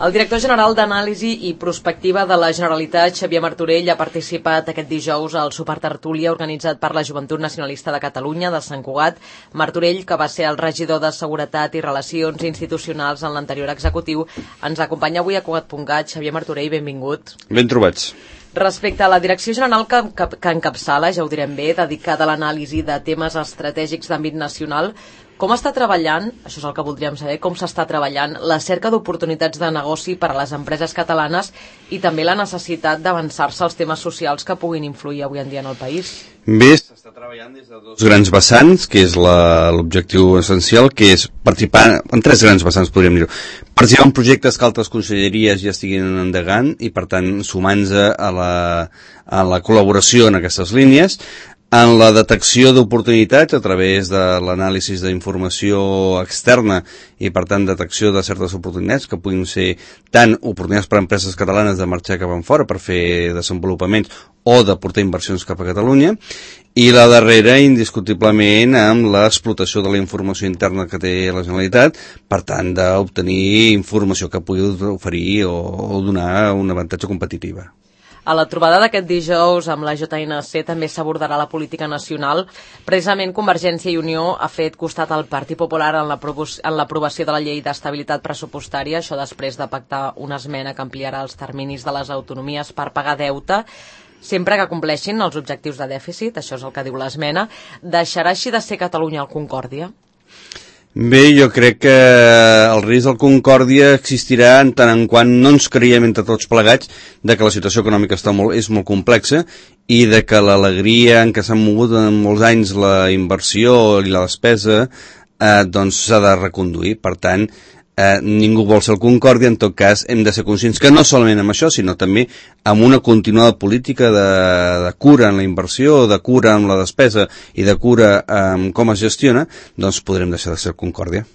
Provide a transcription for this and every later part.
El director general d'Anàlisi i Prospectiva de la Generalitat, Xavier Martorell, ha participat aquest dijous al supertertúlia organitzat per la Joventut Nacionalista de Catalunya de Sant Cugat. Martorell, que va ser el regidor de Seguretat i Relacions Institucionals en l'anterior executiu, ens acompanya avui a Cugat.cat. Xavier Martorell, benvingut. Ben trobats. Respecte a la direcció general que encapçala, ja ho direm bé, dedicada a l'anàlisi de temes estratègics d'àmbit nacional, com està treballant, això és el que voldríem saber, com s'està treballant la cerca d'oportunitats de negoci per a les empreses catalanes i també la necessitat d'avançar-se als temes socials que puguin influir avui en dia en el país? Bé, s'està treballant des de dos grans vessants, que és l'objectiu essencial, que és participar en tres grans vessants, podríem dir-ho. Participar en projectes que altres conselleries ja estiguin endegant i, per tant, sumant-se a la col·laboració en aquestes línies, en la detecció d'oportunitats a través de l'anàlisi d'informació externa i, per tant, detecció de certes oportunitats que puguin ser tant oportunitats per a empreses catalanes de marxar cap enfora per fer desenvolupaments o de portar inversions cap a Catalunya, i la darrera, indiscutiblement, amb l'explotació de la informació interna que té la Generalitat, per tant, d'obtenir informació que pugui oferir o donar un avantatge competitiva. A la trobada d'aquest dijous amb la JNC també s'abordarà la política nacional. Precisament Convergència i Unió ha fet costat al Partit Popular en l'aprovació de la llei d'estabilitat pressupostària, això després de pactar una esmena que ampliarà els terminis de les autonomies per pagar deute, sempre que compleixin els objectius de dèficit, això és el que diu l'esmena. Deixarà així de ser Catalunya el Concòrdia? Bé, jo crec que el risc del Concòrdia existirà en tant en quant no ens creiem entre tots plegats de que la situació econòmica és molt complexa i de que l'alegria en què s'han mogut en molts anys la inversió i la despesa doncs s'ha de reconduir. Per tant, ningú vol ser el Concòrdia. En tot cas, hem de ser conscients que no solament amb això, sinó també amb una continuada política de cura en la inversió, de cura en la despesa i de cura en com es gestiona, doncs podrem deixar de ser el Concòrdia.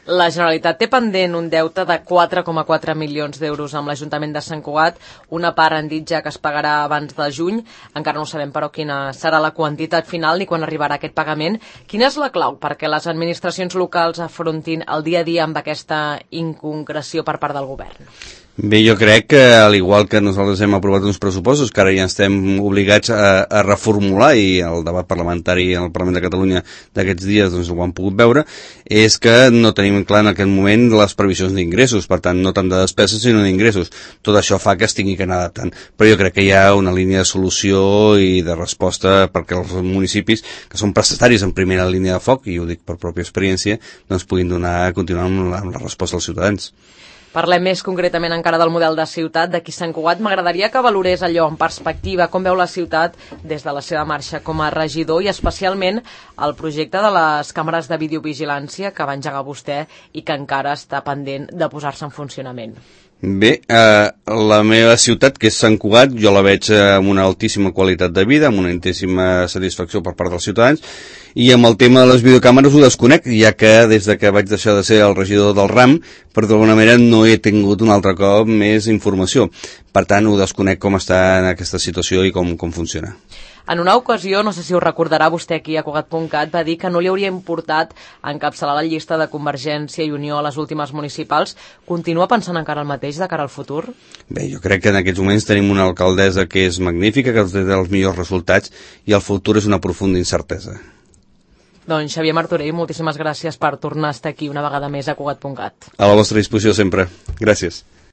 La Generalitat té pendent un deute de 4,4 milions d'euros amb l'Ajuntament de Sant Cugat. Una part han dit ja que es pagarà abans de juny. Encara no sabem, però, quina serà la quantitat final ni quan arribarà aquest pagament. Quina és la clau perquè les administracions locals afrontin el dia a dia amb aquesta inconcreció per part del govern? Bé, jo crec que, al igual que nosaltres hem aprovat uns pressupostos que ara ja estem obligats a reformular, i el debat parlamentari en el Parlament de Catalunya d'aquests dies doncs ho han pogut veure, és que no tenim clar en aquest moment les previsions d'ingressos, per tant no tant de despeses sinó d'ingressos. Tot això fa que es tingui que anar adaptant, però jo crec que hi ha una línia de solució i de resposta perquè els municipis, que són prestataris en primera línia de foc, i ho dic per pròpia experiència, doncs puguin continuar amb la resposta als ciutadans. Parlem més concretament encara del model de ciutat d'aquí Sant Cugat. M'agradaria que valorés allò en perspectiva, com veu la ciutat des de la seva marxa com a regidor i especialment el projecte de les càmeres de videovigilància que va engegar vostè i que encara està pendent de posar-se en funcionament. Bé, la meva ciutat, que és Sant Cugat, jo la veig amb una altíssima qualitat de vida, amb una altíssima satisfacció per part dels ciutadans, i amb el tema de les videocàmeres ho desconec, ja que des de que vaig deixar de ser el regidor del RAM, per d'alguna manera no he tingut un altre cop més informació. Per tant, ho desconec com està en aquesta situació i com funciona. En una ocasió, no sé si ho recordarà vostè aquí a Cugat.cat, va dir que no li hauria importat encapçalar la llista de Convergència i Unió a les últimes municipals. Continua pensant encara el mateix de cara al futur? Bé, jo crec que en aquests moments tenim una alcaldessa que és magnífica, que té els millors resultats, i el futur és una profunda incertesa. Doncs Xavier Martorell, moltíssimes gràcies per tornar a estar aquí una vegada més a Cugat.cat. A la vostra disposició sempre. Gràcies.